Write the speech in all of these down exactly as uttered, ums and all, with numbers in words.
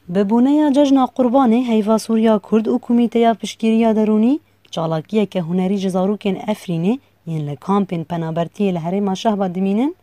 Bi boneya Cejna Qurbanê Heyva Sûriya Kurd û Komîteya Piştgiriya Derûnî çalakiyeke hunerî ji zarokên Efrînê yên li kampên penabertiyê li herêma Şehba dimînin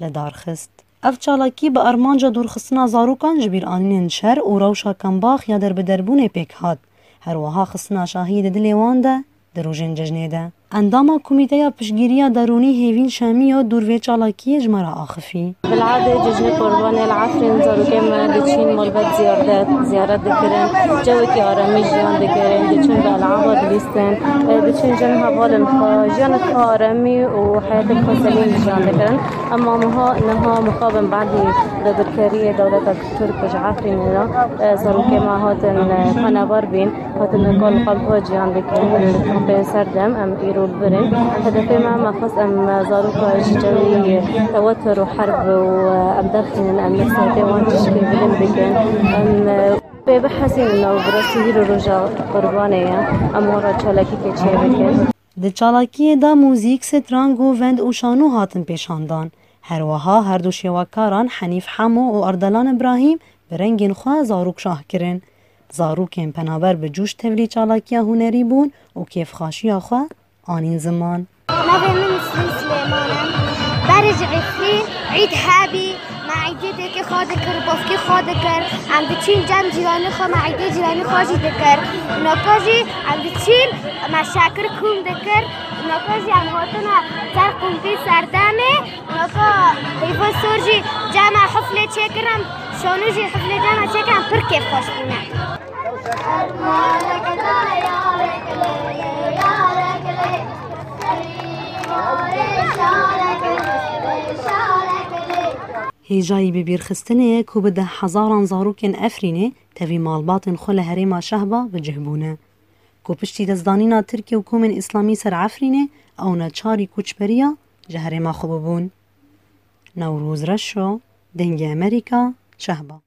li dar xist. Ev çalakî bi armanca dûrxistina zarokan ji bîranînên şer û rewşa kembax ya derbederbûnê pêk hat. Her wiha xistina şahiyê di dilê wan de di rojên cejnê de. Endama Komîteya Piştgiriya Derûnî Hêvîn Şamiyo dûr vê çalakiyê ji me re axifî. Bil'adê cejnê Qurbanê li Efrîn zarokên me diçîn malbat ziyaret, ziyaret dikirin, cewekî aremî jiyan dikirin, diçin bi el'aba dilîstin, e, diçin cem hevalên xwe, jiyanek xwe aremî û heyetên xwe selîm jiyan dikirin. Ema niha, niha mixabin badî dagirkeriyê dewleta Tirk ji Efrînê re, e, zarokên me hatin, e, penaber bîn. Hatin li kal qampa ciyan dikin, kampên serdem, em îro li vir in. Hedefê me, me xwest em zaroka ji cewî tewetur û herb û em derxînin, em li sehpê wan tişkê bilind bikin. Em pê bihesînin û bi rastî hîro roja Qurbanê ye. Em wan re çalakîkê çêbikin. Di çalakiyê de muzîk, strang û vend û şano hatin pêşandan. Her wiha her du şêwekaran Henîf Hemo û Ardalan Îbrahîm bi rengên xwe zarok şah kirin. Zarokên penaber bi coş tevlî çalakiya hunerî bûn û kêfxaşiya xwe anîn ziman. Navê min Nisrîn Silêman e. Berê ji Efrîn, Îd hebî, me îdê dêkê xwe dikir, bavkê xwe dikir. Em diçîn cem cîranê xwe, me îdê cîranê xwe jî dikir. Naka jî em diçîn, me şekir kom dikir. Naka jî em hatine ser kompî serdemê. Naka heyva sor jî cem me hiflê çêkirin, şano jî hiflê cem me çêkirin, pir kêfxweş bûne. Hêjayî bibîrxistinê ye ku bi deh hezaran zarokên Efrînê tevî malbatên xwe li herêma Şehba bi cih bûne. Ku piştî destdanîna Tirkiye û komên Îslamî ser Efrînê, ew neçarî koçberiya ji herêma xwe bibûn. Newroz Reşo, Dengê Amerîka, Şehba.